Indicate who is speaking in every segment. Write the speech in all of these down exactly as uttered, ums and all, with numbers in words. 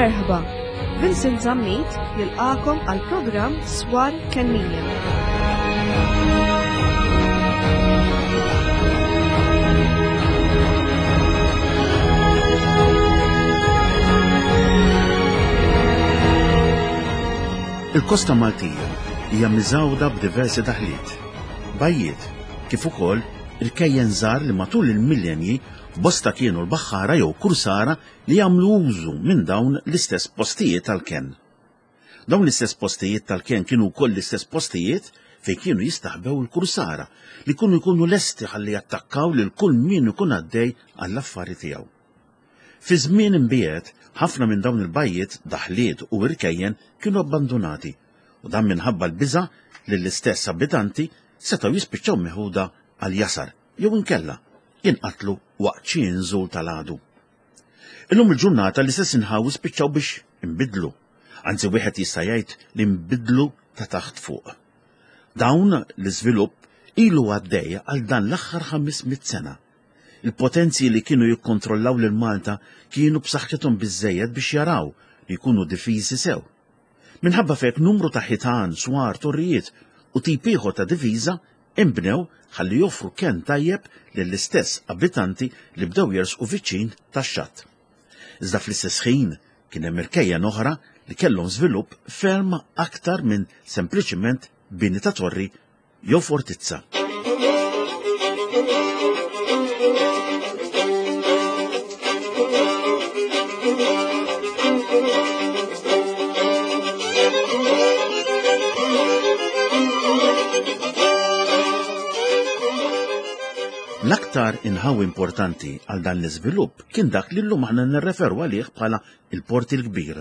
Speaker 1: Merħba, Vincent Zammit jilqakom għal programm Swar Kennija.
Speaker 2: Il-Kosta Maltija hija miżgħuda b'diversi daħliet, bajjiet, kif ukoll irkejjen żgħar li matul il-millenji bosta kienu l-baħħara jew kursara li jagħmlu użu minn dawn l-istess postijiet tal-kenn. Dawn l-istess postijiet tal-kenn kienu wkoll l-istess postijiet fejn kienu jistaħbew il-kursara li kienu jkunu lesti ħalli jattakkaw lil kull min ikun għaddej għall-affari tiegħu. Fi żmien imbiegħed, ħafna minn dawn il-bajjiet, daħliet u irkejjen kienu abbandunati, u dan minħabba l-biża' li l-istess abitanti setgħu jispiċċaw meħuda għal jasar jew inkella jinqatlu waqt xi inżul tal-għadu. Illum il-ġurnata l-istess inħawi spiċċaw biex inbidlu, anzi wieħed jista' jgħid li nbidlu ta' taħt fuq. Dawn l-iżvilupp ilu għaddej għal dan l-aħħar ħames mitt sena. Il-potenzi li kienu jikkontrollaw lil Malta kienu b'saħħithom biżżejjed biex jaraw li jkunu difiżi sew. Minħabba f'hekk numru ta' ħitan, swar, torrijiet u tip ieħor ta' difiża inbnew ħalli joffru kenn tajjeb lill-istess abitanti li bdew jersqu viċin tax-xatt. Iżda fl-istess ħin kien hemm irkejjen oħra li kellhom żvilupp ferm aktar minn sempliċiment bini ta' torri jew fortizza. L-aktar inħawi importanti għal dan l-iżvilupp kien dak li llum aħna nirreferu għalih bħala il-Port il-Kbir.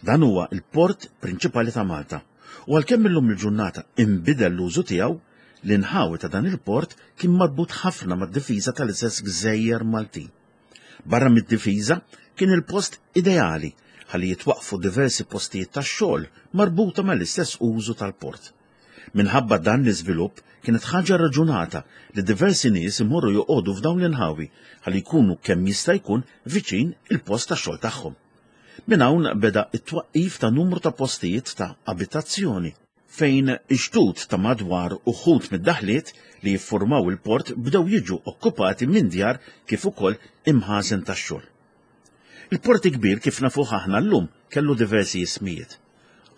Speaker 2: Dan huwa il-port prinċipali ta' Malta, u għalkemm illum il-ġurnata inbidel l-użu tiegħu, l-inħawi ta' dan il-port kien marbut ħafna mad-difiża tal-istess gżejjer Maltin. Barra mid-difiża kien il-post ideali ħalli jitwaqfu diversi postijiet tax-xogħol marbuta mal-istess użu tal-port. Minħabba dan l-iżvilupp kienet ħaġa raġunata li diversi nies imorru joqogħdu f'dawn l-inħawi ħalli jkunu kemm jista' jkun viċin il-post tax-xogħol tagħhom. Minn hawn beda t-twaqqif ta' numru ta' postijiet ta' abitazzjoni fejn ix-xtut ta' madwar uħud mid-daħliet li jiffurmaw il-port bdew jiġu okkupati minn djar kif ukoll imħażen tax-xogħol. Il-Port il-Kbir kif nafuh aħna llum kellu diversi ismijiet.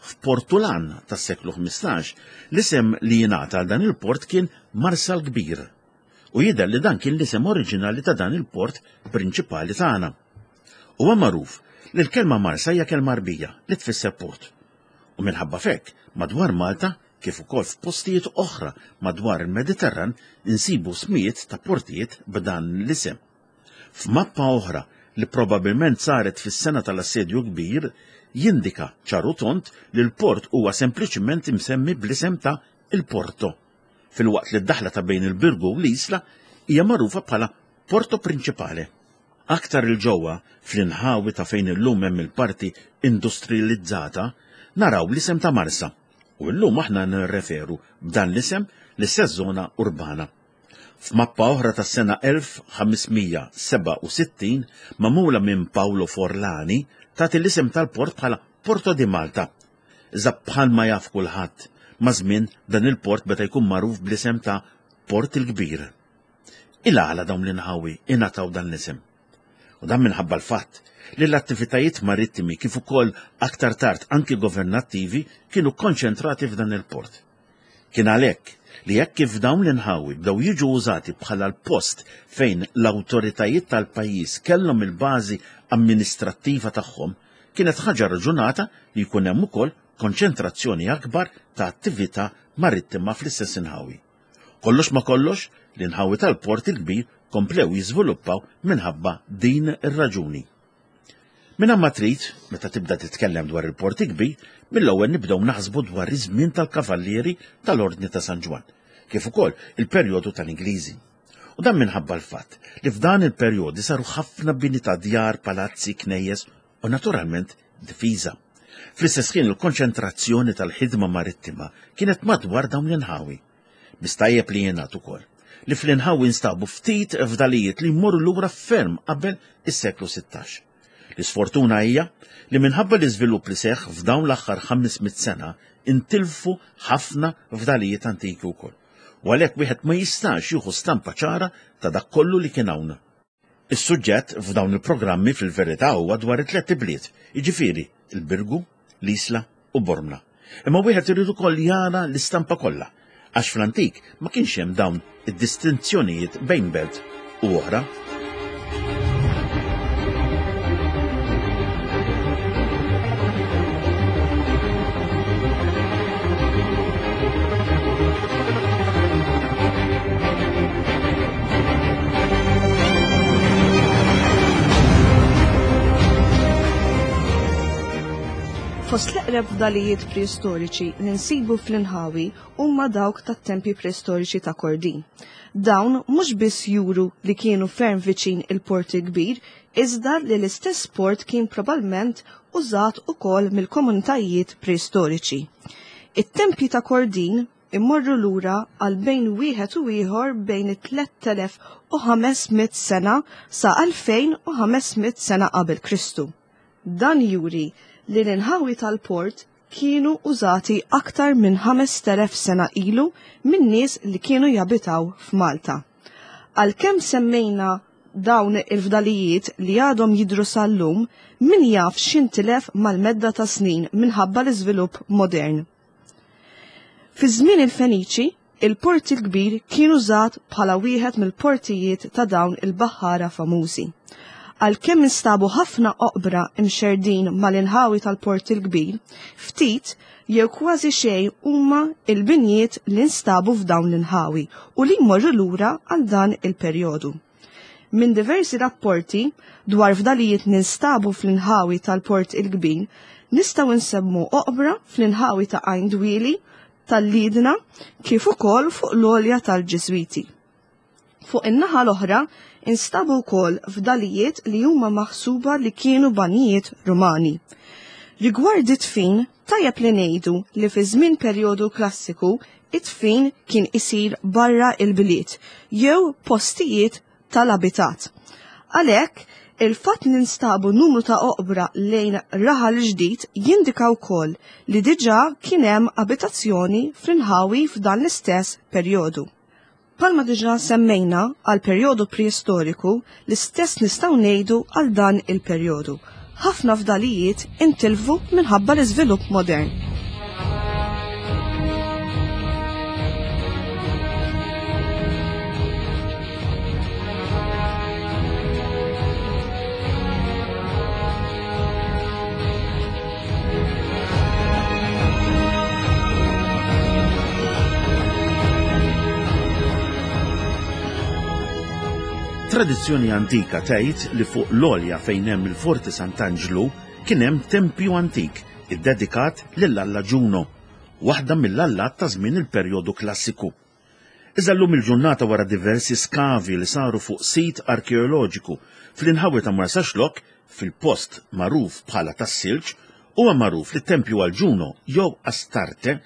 Speaker 2: F'Portulan tas-seklu ħmistax, l-isem li jingħata għal dan il-port kien Marsa l-Kbir, u jidher li dan kien l-isem oriġinali ta' dan il-port prinċipali tagħna. Huwa magħruf li l-kelma Marsa hija kelma Għarbija li tfisser port, u minħabba f'hekk madwar Malta kif ukoll f'postijiet oħra madwar il-Mediterran insibu smijiet ta' portijiet b'dan l-isem. F'mappa oħra li probabbilment saret fis-sena tal-Assedju Kbir jindika ċar u tond li l-port huwa sempliċiment imsemmi bl-isem ta' il-Porto, filwaqt li d-daħla ta' bejn il-Birgu u l-Isla hija magħrufa bħala Porto Principale. Aktar il-ġewwa, fl-inħawi ta' fejn illum hemm il-parti industrializzata, naraw l-isem ta' Marsa, u llum aħna nirreferu b'dan l-isem l-istess żona urbana. F'mappa oħra tas-sena elf ħames mija sebgħa u sittin, magħmula minn Paolo Forlani, tagħti l-isem tal-port bħala Porto di Malta. Iżda bħalma jaf kulħadd, maż-żmien dan il-port beda jkun magħruf bl-isem ta' Port il-Kbir. Il-għala dawn l-inħawi ingħataw dan l-isem? U dan minħabba l-fatt li l-attivitajiet marittimi kif ukoll aktar tard anki governattivi kienu konċentrati f'dan il-port. Kien għalhekk li hekk kif dawn l-inħawi bdew jiġu użati bħala l-post fejn l-awtoritajiet tal-pajjiż kellhom il-bażi amministrattiva tagħhom, kienet ħaġa raġunata li jkun hemm ukoll konċentrazzjoni akbar ta' attività marittima fl-istess inħawi. Kollox ma kollox, l-inħawi tal-Port il-Kbir komplew jiżviluppaw minħabba din ir-raġuni. Minn ma trid, meta tibda titkellem dwar il-Port il-Kbir, mill-ewwel nibdew naħsbu dwar iż-żmien tal-Kavallieri tal-Ordni ta' San Ġwann, kif ukoll il-perjodu tal-Ingliżi. U dan minħabba l-fatt li f'dan il-perjodi saru ħafna bini ta' djar, palazzi, knejjes u naturalment difiża. Fl-istess ħin il-konċentrazzjoni tal-ħidma marittima kienet madwar dawn l-inħawi. Mistajjeb li jingħad ukoll li fl-inħawi nstabu ftit fdalijiet li jmorru lura ferm qabel is-seklu sittax. L-isfortuna hija li minħabba l-iżvilupp li seħħ f'dawn l-aħħar ħames mitt sena intilfu ħafna fdalijiet antiki wkoll. U għalhekk wieħed ma jistax jieħu stampa ċara ta' dak kollu li kien hawn. Is-suġġett f'dawn il-programmi fil-verità huwa dwar it-tliet ibliet, jiġifieri il-Birgu, l-Isla u Bormla. Imma wieħed irid ukoll jara l-istampa kollha, għax fl-antik ma kienx hemm dawn id-distinzjonijiet bejn belt u oħra.
Speaker 1: Fost l-eqreb fdalijiet preistoriċi li nsibu fl-inħawi huma dawk tat-tempji preistoriċi ta' Kordin. Dawn mhux biss juru li kienu ferm viċin il-Port il-Kbir, iżda li l-istess port kien probabbilment użat ukoll mill-komunitajiet preistoriċi. It-tempji ta' Kordin immorru lura għal bejn wieħed u ieħor bejn it-tliet elef u ħames mitt sena sa elfejn u ħames mitt sena qabel Kristu. Dan juri li l-inħawi tal-port kienu użati aktar minn ħames telef sena ilu minn nies li kienu jabitaw f'Malta. Għalkemm semmejna dawn il-fdalijiet li għadhom jidru sal-lum, min jaf x'intilef mal-medda ta' snin minħabba l-iżvilupp modern. Fi żmien il-Feniċi, il-Port il-Kbir kien użat bħala wieħed mill-portijiet ta' dawn il-baħħara famużi. Għalkemm instabu ħafna oqbra imxerdin mal-inħawi tal-Port il-Kbir, ftit jew kważi xejn huma il-binjiet li nstabu f'dawn l-inħawi u li jmorru lura għal dan il-perjodu. Minn diversi rapporti dwar fdalijiet ninstabu fl-inħawi tal-Port il-Kbir, nistgħu nsemmu oqbra fl-inħawi ta' Għajn Dwieli, tal-Lidna, kif ukoll fuq l-għolja tal-Ġiżwiti. Fuq in-naħa l-oħra instabu wkoll fdalijiet li huma maħsuba li kienu banijiet Rumani. Rigward it-tfin, tajjeb li ngħidu li fi żmien perjodu klassiku it-tfin kien isir barra il-bliet jew postijiet tal-abitat. Għalhekk, il-fatt li nstabu numru ta' oqbra lejn raħal ġdid jindika wkoll li diġà kien hemm abitazzjoni fl-inħawi f'dan l-istess perjodu. Palma diġà semmejna għal perjodu preistoriku, l-istess nistgħu ngħidu għal dan il-perjodu. Ħafna fdalijiet intilfu minħabba l-iżvilupp modern.
Speaker 2: Tradizzjoni antika tgħid li fuq l-għolja fejn hemm il-Forti Sant'Anġlu kien hemm tempju antik iddedikat lil Alla Ġuno, waħda mill-allat ta' żmien il-perjodu klassiku. Iżda llum il-ġurnata wara diversi skavi li saru fuq sit arkeoloġiku fl-inħawi ta' Marsaxlokk, fil-post magħruf bħala tas-Silġ, huwa magħruf li t-tempju għal Ġuno jew Astarte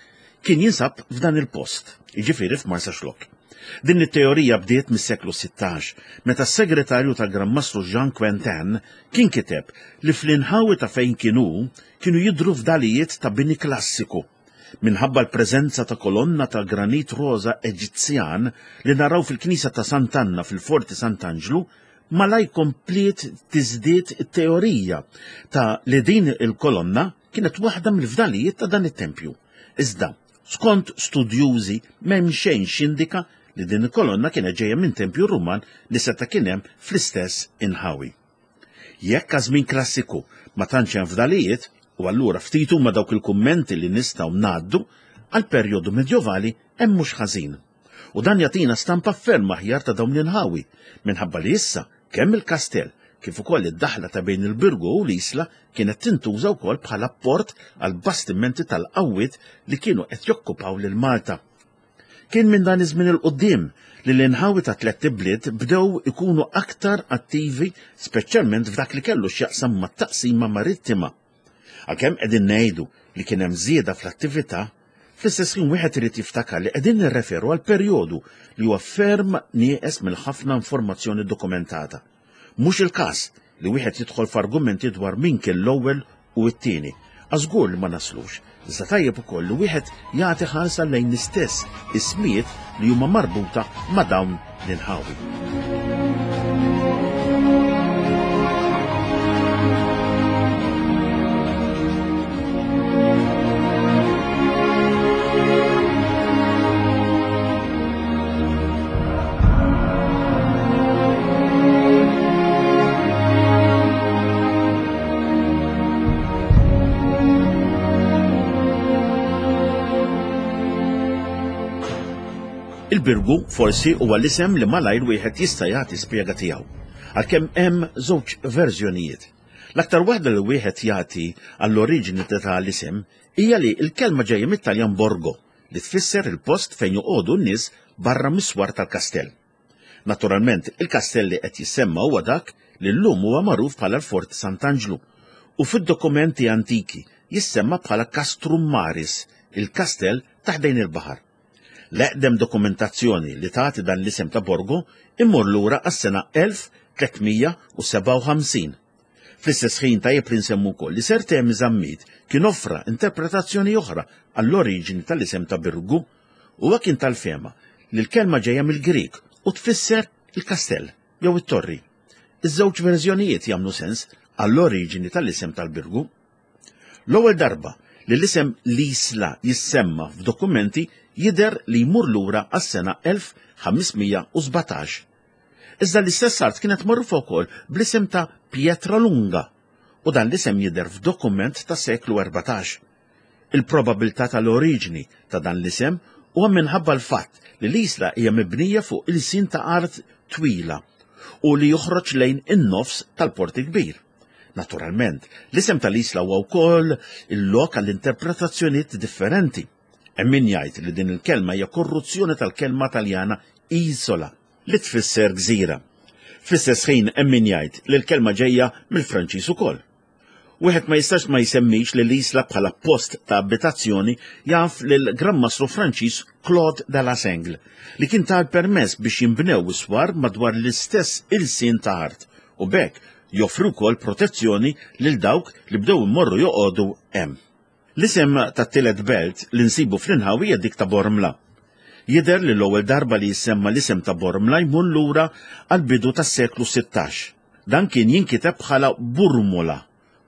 Speaker 2: kien jinsab f'dan il-post, jiġifieri f'Marsaxlokk. Din it-teorija bdiet mis-seklu sittax, meta s-segretarju tal-Gran Mastru Jean Quentin kien kiteb li fl-inħawi ta' fejn kienu kienu jidhru fdalijiet ta' bini klassiku, minħabba l-preżenza ta' kolonna ta' granit roża Eġizzjan li naraw fil-Knisja ta' Sant'Anna fil-Forti Sant'Anġlu, malaj kompliet tiżdied it-teorija ta' li din il-kolonna kienet waħda mill-fdalijiet ta' dan it-tempju. Iżda, skont studjużi, m'hemm xejn x'jindika li din il-kolonna kienet ġejja minn tempju Ruman li seta' kien hemm fl-istess inħawi. Jekk għaż-żmien klassiku ma tantx hemm fdalijiet, u allura ftit huma dawk il-kummenti li nistgħu ngħaddu, għal perjodu medjovali hemm mhux ħażin. U dan jagħtina stampa ferm aħjar ta' dawn l-inħawi, minħabba li issa kemm il-kastell kif ukoll id-daħla ta' bejn il-Birgu u l-Isla kienet tintuża wkoll bħala port għal bastimenti tal-qawwiet li kienu qed jokkupaw lil Malta. Kien minn dan iż-żmien il-qudiem li l-inħawi ta' tliet ibliet bdew ikunu aktar attivi, speċjalment f'dak li kellu x'jaqsam mat-taqsima marittima. Għalkemm qegħdin ngħidu li kien hemm żieda fl-attività, fl-istess ħin wieħed irid jiftakar li qegħdin nirreferu għal perjodu li huwa ferm nieqes mill-ħafna informazzjoni dokumentata. Mhux il-każ li wieħed jidħol f'argumenti dwar min kien l-ewwel u t-tieni. Għażgur li ma naslux, iżda tajjeb ukoll li wieħed jagħti ħarsa lejn l-istess ismijiet li huma marbuta ma' dawn l-inħawi. Il-Birgu forsi huwa l-isem li malajr wieħed jista' jagħti spjega tiegħu, għalkemm hemm żewġ verżjonijiet. L-aktar waħda li wieħed jagħti għall-oriġini ta' l-isem hija li l-kelma ġejja mit-Taljan borgo, li tfisser il-post fejn joqogħdu n-nies barra mis-swar tal-kastell. Naturalment, il-kastell li qed jissemma huwa dak li llum huwa magħruf bħala l-Fort Sant'Anġlu u fid-dokumenti antiki jissemma bħala Castrum Maris, il-kastell ta' ħdejn il-baħar. L-eqdem dokumentazzjoni li tagħti dan l-isem ta' Borgo immur lura għas-sena elf tliet mija u sebgħa u ħamsin. Fl-istess ħin tajjeb li nsemmu wkoll li Sir Temi Zammit kien offra interpretazzjoni oħra għall-oriġini tal-isem ta' Birgu. Huwa kien tal-fehma li l-kelma ġejja mill-Grieg u tfisser il-kastell jew it-torri. Iż-żewġ verżjonijiet jagħmlu sens għall-oriġini tal-isem tal-Birgu. L-ewwel darba li l-isem l-Isla jissemma f'dokumenti jidher li jmur lura għas-sena elf ħames mija u sbatax. Iżda l-istess art kienet magħrufa wkoll bl-isem ta' Pietra Lunga u dan l-isem jidher f'dokument ta' seklu erbatax. Il-probabilità tal-oriġini ta' dan l-isem huwa minħabba l-fatt li l-Isla hija mibnija fuq il-sin ta' art twila u li joħroġ lejn in-nofs tal-Port il-Kbir. Naturalment, l-isem tal-Isla huwa wkoll il-lok għall-interpretazzjonijiet differenti. Hemm min jgħid li din il-kelma hija korruzzjoni tal-kelma Taljana isola, li tfisser gżira. Fl-istess ħin hemm min jgħid li l-kelma ġejja mill-Franċiż ukoll. Wieħed ma jistax ma jsemmix li l-Isla bħala post ta' abitazzjoni jaf lil Gran Mastru Franċiż Claude de la Sengle, li kien ta l-permess biex jinbnew is-swar madwar l-istess ilsien ta' art u b'hekk joffru wkoll protezzjoni lil dawk li bdew immorru joqogħdu hemm. L-isem tat-tielet belt li nsibu fl-inħawi hija dik ta' Bormla. Jidher li l-ewwel darba li jissemma l-isem ta' Bormla jmur lura għall-bidu tas-seklu sittax. Dan kien jinkiteb bħala Burmula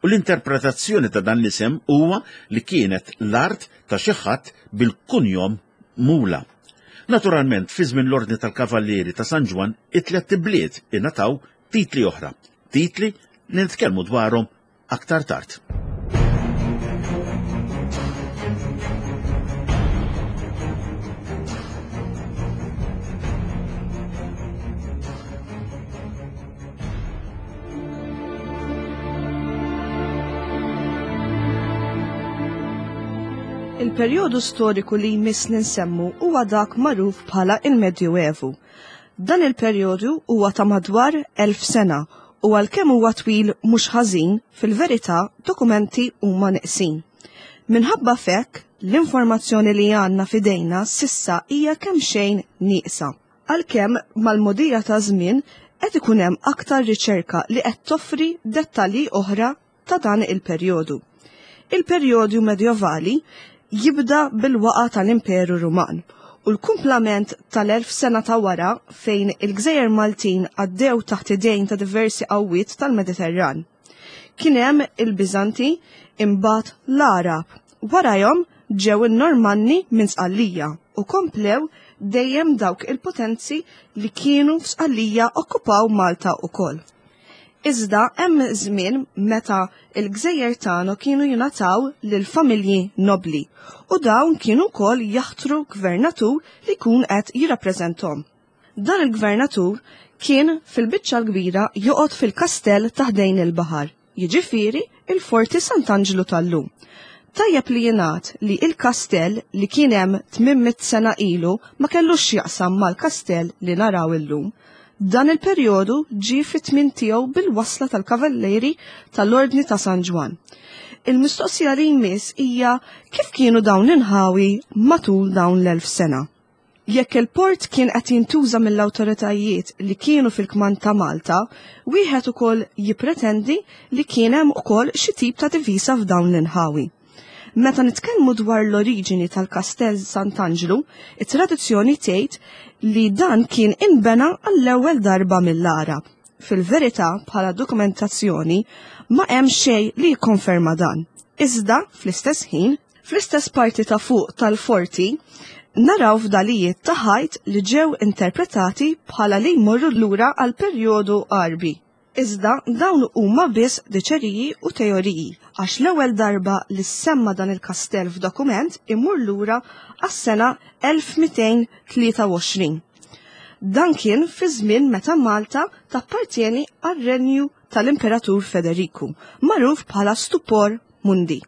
Speaker 2: u l-interpretazzjoni ta' dan l-isem huwa li kienet l-art ta' xi ħadd bil-kunjom Mula. Naturalment, fi żmien l-Ordni tal-Kavallieri ta' San Ġwann, it-tliet ibliet ingħataw titli oħra, titli li nitkellmu dwarhom aktar tard.
Speaker 1: Il-perjodu storiku li jmiss li nsemmu huwa dak magħruf bħala il-Medjuevu. Dan il-perjodu huwa ta' madwar elf sena u għalkemm huwa twil mhux ħażin, fil-verità dokumenti huma neqsin. Minħabba f'hekk, l-informazzjoni li għandna f'idejna sissa hija kemm xejn nieqsa. Għalkemm mal-mogħdija ta' żmien qed ikun hemm aktar riċerka li qed toffri dettalji oħra ta' dan il-perjodu. Il-perjodu medjevali jibda bil-waqa tal-Imperu Ruman u l-kumplament tal-elf sena ta' wara fejn il-Gżejjer Maltin għaddew taħt idejn ta' diversi qawwiet tal-Mediterran. Kien hemm il-Biżanti, imbagħad l-Għarab, warajhom ġew in-Normanni minn Sqallija u komplew dejjem dawk il-potenzi li kienu f'Sqallija okkupaw Malta wkoll. Iżda hemm żmien meta l-gżejjer tagħna kienu jingħataw lil familji nobli u dawn kienu wkoll jaħtru gvernatur li jkun qed jirrappreżenthom. Dan il-gvernatur kien fil-biċċa l-kbira joqgħod fil-kastell ta' ħdejn il-baħar, jiġifieri il-Forti Sant'Anġlu tal-lum. Tajjeb li jingħad li il-kastell li kien hemm tmien mitt sena ilu ma kellux x'jaqsam mal-kastell li naraw illum. Dan il-perjodu ġie fit-tmien tiegħu bil-wasla tal-Kavallieri tal-Ordni ta' San Ġwann. Il-mistoqsija li jmiss hija kif kienu dawn l-inħawi matul dawn l-elf sena. Jekk il-port kien qed jintuża mill-awtoritajiet li kienu fil-kmand ta' Malta, wieħed ukoll jippretendi li kien hemm ukoll xi tip ta' divisa f'dawn l-inħawi. Meta nitkellmu dwar l-oriġini tal-Kastell Sant'Anġlu, it-tradizzjoni tgħid li dan kien inbena għall-ewwel darba mill-Għarab. Fil-verità, bħala dokumentazzjoni, ma hemm xejn li jikkonferma dan. Iżda, fl-istess ħin, fl-istess parti ta' fuq tal-forti, naraw fdalijiet ta' ħajt li ġew interpretati bħala li jmorru lura għal perjodu Għarbi. Iżda dawn huma biss diċeriji u teoriji, għax l-ewwel darba li semma dan il-kastell f'dokument imur lura għas-sena elf mitejn tlieta u għoxrin. Dan kien fi żmien meta Malta tappartieni għar-renju tal-Imperatur Federiku, magħruf bħala Stupor Mundi.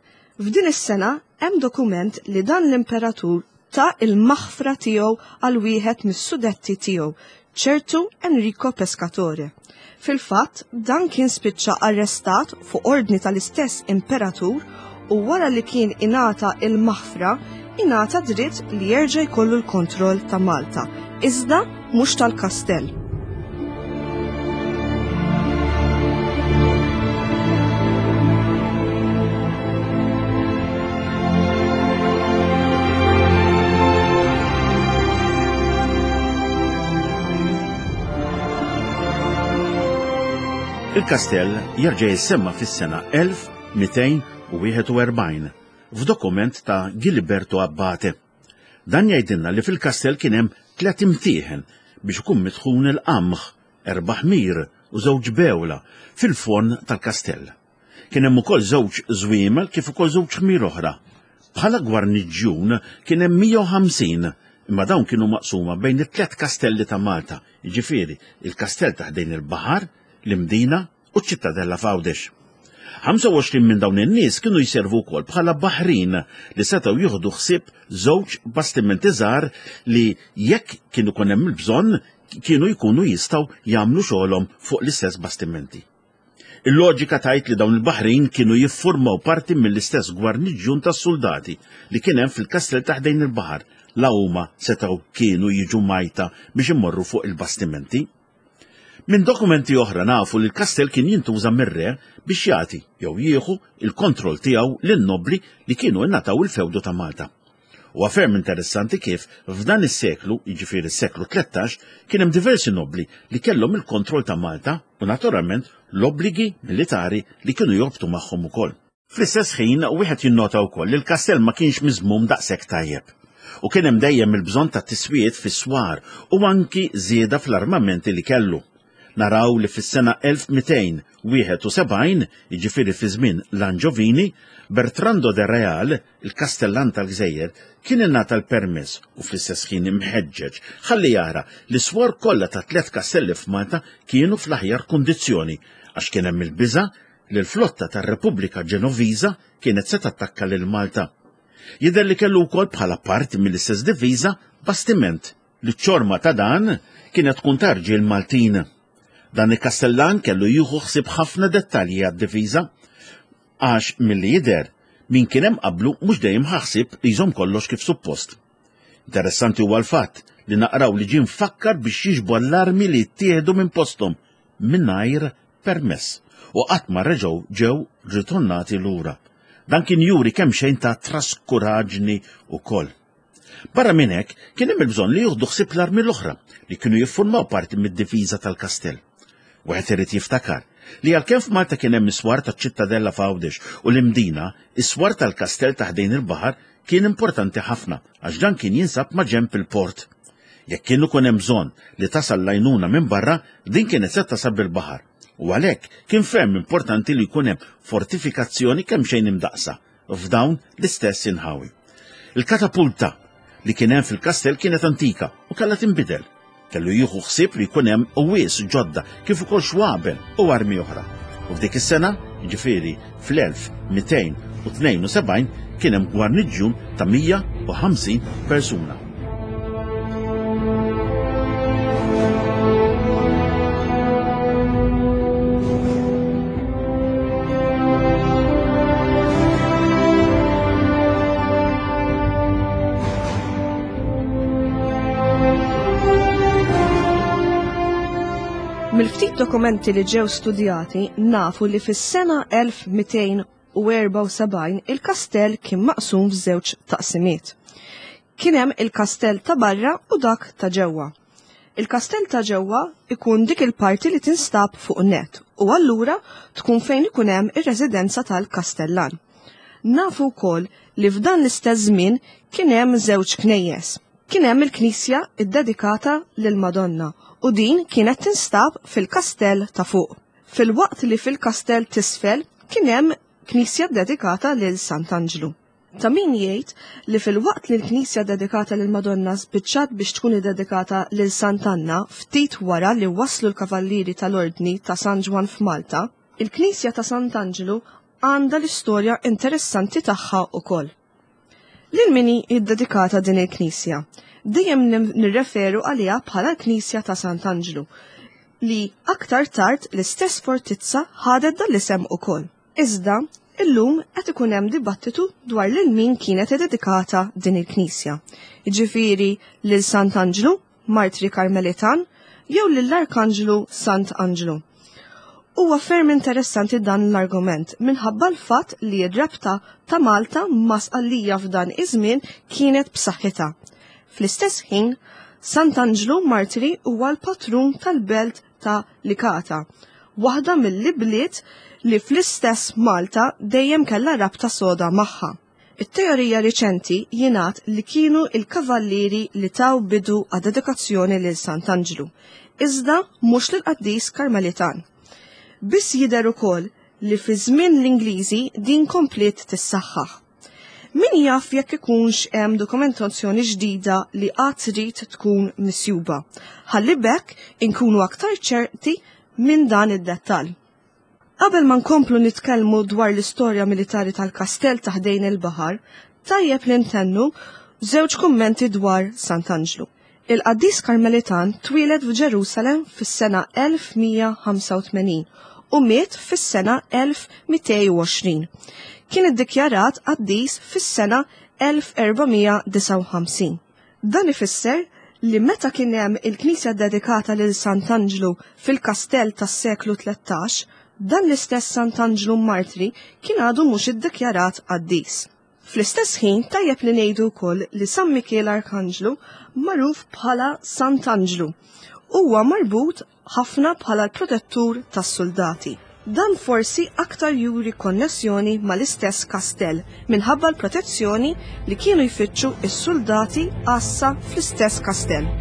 Speaker 1: F'din is-sena hemm dokument li dan l-imperatur ta' il-maħfra tiegħu għal wieħed mis-sudetti tiegħu, ċertu Enrico Pescatore. Fil-fatt, dan kien spiċċa arrestat fuq ordni tal-istess imperatur u wara li kien ingħata il-maħfra, ingħata dritt li jerġa' jkollu l-kontroll ta' Malta, iżda mhux tal-kastell.
Speaker 2: Il-kastell jerġa' jissemma fis-sena elf mitejn u wieħed u erbgħin f'dokument ta' Giliberto Abbate. Dan jgħidilna li fil-kastell kien hemm tliet imtieħen biex ikun mitħun il-qamħ, erba' ħmir u żewġ bewla fil-forn tal-kastell. Kien hemm ukoll żewġ żwiemel kif ukoll żewġ ħmir oħra. Bħala gwarniġġjun kien hemm mija u ħamsin, imma dawn kienu maqsuma bejn it-tliet kastelli ta' Malta, jiġifieri il-kastell ta' ħdejn il-baħar, l-Imdina u ċ-Ċittadella f'Għawdex. ħamsa u għoxrin minn dawn in-nies kienu jservu wkoll bħala baħrin li setgħu jieħdu ħsieb żewġ bastimenti żgħar li jekk kienu ikun hemm il-bżonn kienu jkunu jistgħu jagħmlu xogħolhom fuq l-istess bastimenti. Il-loġika tgħid li dawn il-baħrin kienu jiffurmaw parti mill-istess gwarniġġjun tas-soldati li kien hemm fil-kastell ta' ħdejn il-baħar, la huma setgħu kienu jiġu majta biex imorru fuq il-bastimenti. Minn dokumenti oħra nafu li l-kastell kien jintuża mir-re biex jagħti jew jieħu il-kontroll tiegħu lin-nobbli li kienu ingħataw il-fewdu ta' Malta. Huwa ferm interessanti kif f'dan is-seklu, jiġifieri s-seklu tlettax, kien hemm diversi nobbli li kellhom il-kontroll ta' Malta u naturalment l-obbligi militari li kienu jorbtu magħhom ukoll. Fl-istess ħin wieħed jinnota wkoll li l-kastell ma kienx miżmum daqshekk tajjeb. U kien hemm dejjem il-bżonn ta' tiswiet fis-swar u anki żieda fl-armamenti li kellu. Naraw li fis-sena elf mitejn wieħed u sebgħin, jiġifieri fi żmien l-Anġovini, Bertrando de Real, il-kastellan tal-Gżejjer, kien ingħata l-permess u fl-istess ħin imħeġġeġ ħalli jara li s-swar kollha ta' tliet kastelli f'Malta kienu fl-aħjar kundizzjoni għax kien hemm il-biża' li l-flotta tar-Repubblika Ġenoviża kienet se tattakka lil Malta. Jidher li kellu wkoll bħala parti mill-istess diviża bastiment li ċ-ċorma ta' dan kienet tkun ta' rġiel Maltin. Dan il-kastellan kellu jieħu ħsieb ħafna dettalji għad-diviża għax milli jidher min kien hemm qablu mhux dejjem ħaħsib li jżomm kollox kif suppost. Interessanti huwa l-fatt li naqraw li ġie mfakkar biex jiġbor l-armi li jittieħdu minn posthom mingħajr permess u qatt ma reġgħu ġew ritornati lura. Dan kien juri kemm xejn ta' traskuraġni wkoll. Barra minn hekk kien hemm il-bżonn li jieħdu ħsieb l-armi l-oħra li kienu jiffurmaw parti mid-difiża tal-kastell. Wieħed irid jiftakar li għalkemm f'Malta kien hemm is-swar taċ-Ċittadella f'Għawdex u l-Imdina, is-swar tal-kastell ta' ħdejn il-baħar kien importanti ħafna għax dan kien jinsab ma' ġenb il-port. Jekk kien ikun hemm bżonn li tasal l-għajnuna minn barra, din kienet se tasal bil-baħar. U għalhekk kien ferm importanti li jkun hemm fortifikazzjoni kemm xejn imdaqsa f'dawn l-istess inħawi. Il-katapulta li kien hemm fil-kastell kienet antika u kellha tinbidel. Kellu jieħu ħsieb li jkun hemm qwies ġodda kif ukoll xwabel u armi oħra. U f'dik is-sena, jiġifieri fl-elf mitejn u tnejn u sebgħin, kien hemm gwarniġġjun ta' mija u ħamsin persuna.
Speaker 1: Mill-ftit dokumenti li ġew studjati nafu li fis-sena elf mitejn u erbgħa u sebgħin il-kastell kien maqsum f'żewġ taqsimiet. Kien hemm il-kastell ta' barra u dak ta' ġewwa. Il-kastell ta' ġewwa ikun dik il-parti li tinstab fuq net u allura tkun fejn ikun hemm ir-residenza tal-kastellan. Nafu wkoll li f'dan l-istess żmien kien hemm żewġ knejjes. Kien hemm il-knisja ddedikata lil Madonna u din kienet tinstab fil-kastell ta' fuq. Filwaqt li fil-kastell t'isfel kien hemm knisja ddedikata lil Sant'Anġlu. Ta' min jgħid li fil-waqt li l-knisja dedikata lil Madonna spiċċat biex tkun iddedikata lil Sant'Anna ftit wara li waslu l-kavallieri tal-Ordni ta' San Ġwann f'Malta, il-knisja ta' Sant'Anġlu għandha l-istorja interessanti tagħha ukoll. Lil min hi ddedikata din il-knisja? Dejjem nirreferu għaliha bħala l-Knisja ta' Sant'Anġlu, li aktar tard l-istess fortizza ħadet dan l-isem ukoll. Iżda, illum qed ikun hemm dibattitu dwar lil min kienet iddedikata din il-knisja. Jiġifieri lil Sant'Anġlu, Martri Karmelitan, jew lill-Arkanġlu Sant'Anġlu. Huwa ferm interessanti dan l-argument minħabba l-fatt li r-rabta ta' Malta ma' Sqallija f'dan iż-żmien kienet b'saħħitha. Fl-istess ħin, Sant'Anġlu Martri huwa l-patrun tal-belt ta' Licata, waħda mill-ibliet li fl-istess Malta dejjem kellha rabta soda magħha. It-teorija riċenti jingħad li kienu il-kavallieri li taw bidu għad-dedikazzjoni lil Sant'Anġlu, iżda mhux lill-qaddis Karmelitan. Biss jidher ukoll li fi żmien l-Ingliżi din kompliet tissaħħaħ. Min jaf jekk ikunx hemm dokumentazzjoni ġdida li qatt trid tkun misjuba. Ħalli b'hekk inkunu aktar ċerti minn dan id-dettall. Qabel ma nkomplu nitkellmu dwar l-istorja militari tal-kastell ta' ħdejn il-baħar, tajjeb li ntennu żewġ kummenti dwar Sant'Anġlu. Il-qaddis Karmelitan twieled f'Ġerusalem fis-sena elf mija ħamsa u tmenin u miet fis-sena elf mitej u għoxrin. Kien iddikjarat qaddis fis-sena elf erba' mija disgħa u ħamsin. Dan ifisser li meta kien hemm il-knisja dedikata lil Sant'Anġlu fil-kastell tas-seklu tlettax, dan l-istess Sant'Anġlu Martri kien għadu mhux iddikjarat qaddis. Fl-istess ħin tajjeb li ngħidu wkoll li San Mikiel Arkanġlu magħruf bħala Sant'Anġlu huwa marbut ħafna bħala l-protettur tas-soldati. Dan forsi aktar juri konnessjoni mal-istess kastell minħabba l-protezzjoni li kienu jfittxu s-soldati għassa fl-istess kastell.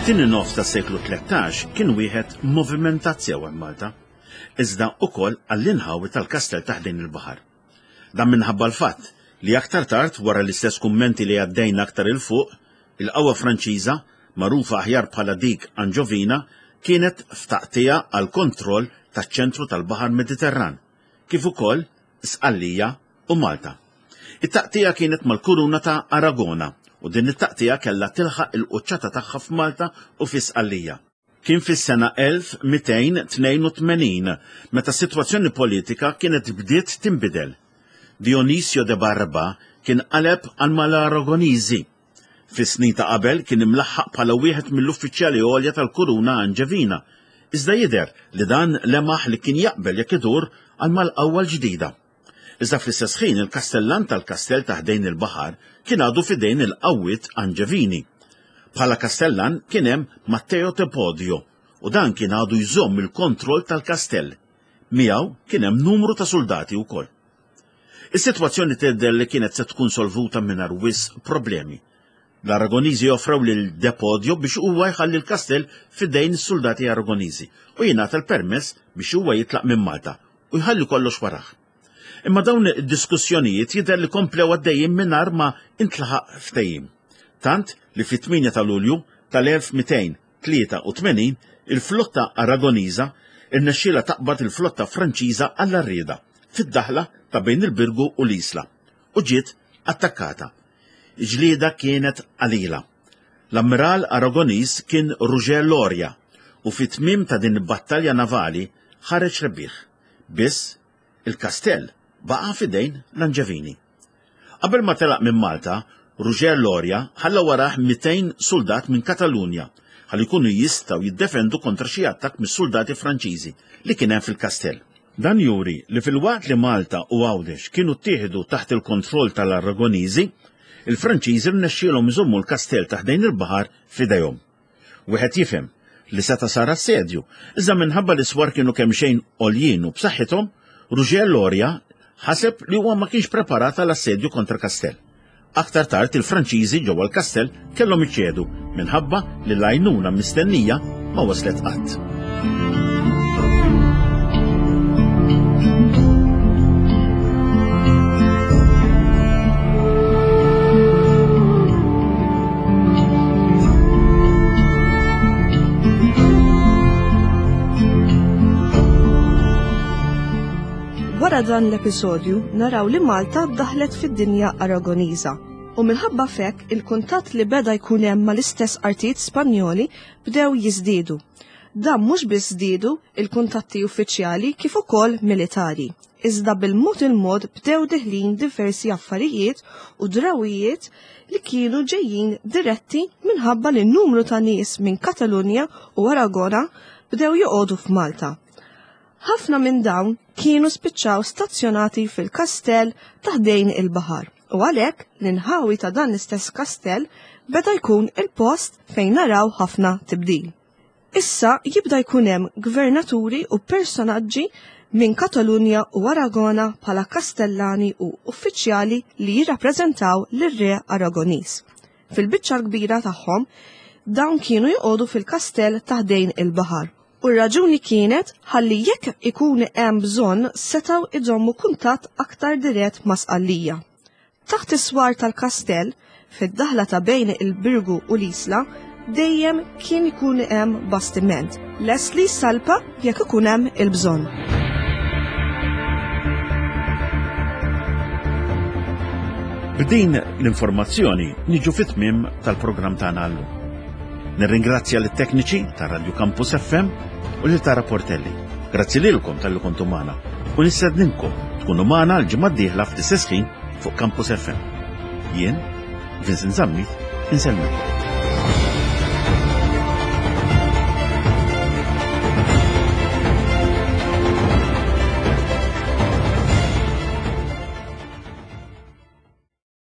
Speaker 2: It-tieni nofs tas-seklu tlettax kien wieħed movimentat sew hemm Malta, iżda ukoll għall-inħawi tal-kastell ta' ħdejn il-baħar. Dan minħabba l-fatt li aktar tard wara l-istess kummenti li għaddejna aktar il fuq, il-qawwa Franċiża, magħrufa aħjar bħala dik Anġovina, kienet f'taqtija għal kontroll taċ-ċentru tal-Baħar Mediterran, kif ukoll Sqallija u Malta. It-taqtija kienet mal-kuruna ta' Aragona u din it-taqtija kellha tilħaq il-quċċata tagħha f'Malta u fi Sqallija. Kien fis-sena elf mitejn tnejn u tmenin meta s-sitwazzjoni politika kienet bdiet tinbidel. Dionisio de Barba kien qaleb għal mal-Aragoniżi. Fis-snin ta' qabel kien imlaħħaq bħala wieħed mill-uffiċjali għolja tal-kuruna Anġevina, iżda jidher li dan lemaħ li kien jaqbel jekk idur għal mal-qawwa l-ġdida. Iżda fl-istess ħin il-kastellan tal-kastell ta' ħdejn il-baħar kien għadu f'idejn il-qawwiet Anġevini. Bħala kastellan kien hemm Matteo Tepodio u dan kien għadu jżomm il-kontroll tal-kastell. Miegħu kien hemm numru ta' soldati wkoll. Is-sitwazzjoni tidher li kienet se tkun solvuta mingħajr wisq problemi. L-Aragoniżi offrew lil Depodio biex huwa jħalli l-kastell f'idejn is-soldati Aragoniżi u jingħata l-permess biex huwa jitlaq minn Malta u jħalli kollox warah. Imma dawn id-diskussjonijiet jidher li komplew għaddejjin mingħajr ma intlaħaq ftehim. Tant li fit-tmienja ta' Lulju tal-elf mitejn tlieta u tmenin il-flotta Aragoniża irnexxielha taqbad il-flotta Franċiża għall-arrieda fid-daħla ta' bejn il-Birgu u l-Isla u ġiet attakkata. Ġlieda kienet qalila. L-ammiral Aragoniż kien Ruġer Loria u fit-tmiem ta' din il-battalja navali ħareġ rebbieħ. Biss il-kastell baqa' f'idejn l-Anġevini. Qabel ma telaq minn Malta, Ruġer Loria ħalla warah mitejn soldat minn Katalunja ħalli jkunu jistgħu jiddefendu kontra xi attakk mis-soldati Franċiżi li kien hemm fil-kastell. Dan juri li filwaqt li Malta u Għawdex kienu ttieħdu taħt il-kontroll tal-Aragoniżi, il-Franċiżi rnexxielhom iżommu l-kastell ta' ħdejn il-baħar f'idejhom. Wieħed jifhem li seta' sar assedju, iżda minħabba li swar kienu kemm xejn għoljin u b'saħħithom, Ruġer Loria ħaseb li huwa ma kienx preparat għal assedju kontra kastell. Aktar tard il-Franċiżi ġewwa l-kastell kellhom iċedu minħabba li l-għajnuna mistennija ma waslet qatt.
Speaker 1: Wara dan l-episodju naraw li Malta daħlet fid-dinja Aragoniża u minħabba f'hekk il-kuntatt li beda jkun hemm mal-istess artijiet Spanjoli bdew jiżdiedu. Dan mhux biss żdiedu il-kuntatti uffiċjali kif ukoll militari, iżda bil-mod il-mod bdew diħlin diversi affarijiet u drawijiet li kienu ġejjin diretti minħabba li n-numru ta' nies minn Katalunja u Aragona bdew joqogħdu f'Malta. Ħafna minn dawn kienu spiċċaw stazzjonati fil-kastell ta' ħdejn il-baħar u għalhekk l-inħawi ta' dan l-istess kastell beda jkun il-post fejn naraw ħafna tibdil. Issa jibda jkun hemm gvernaturi u personaġġi minn Katalunja u Aragona bħala kastellani u uffiċjali li jirrappreżentaw lir-re Aragoniż. Fil-biċċa l-kbira tagħhom dawn kienu joqogħdu fil-kastell ta' ħdejn il-baħar. U r-raġuni kienet ħalli jekk ikun hemm bżonn setgħu iżommu kuntatt aktar dirett ma' Sqallija. Taħt is-swar tal-kastell, fid-daħla ta' bejn il-Birgu u l-Isla, dejjem kien ikun hemm bastiment, lest li jsalpa jekk ikun hemm il-bżonn.
Speaker 2: B'din l-informazzjoni niġu fit-tmiem tal-programm tagħna llum. Nirringrazzja lit-tekniċi ta' Radio Campus F M u lil Tara Portelli. Grazzi lilkom talli kontu magħna u nistedninkom tkunu magħna l-ġimgħa d-dieħla fl-istess ħin fuq Campus F M. Jien, Vincent Zammit, insellmilkom.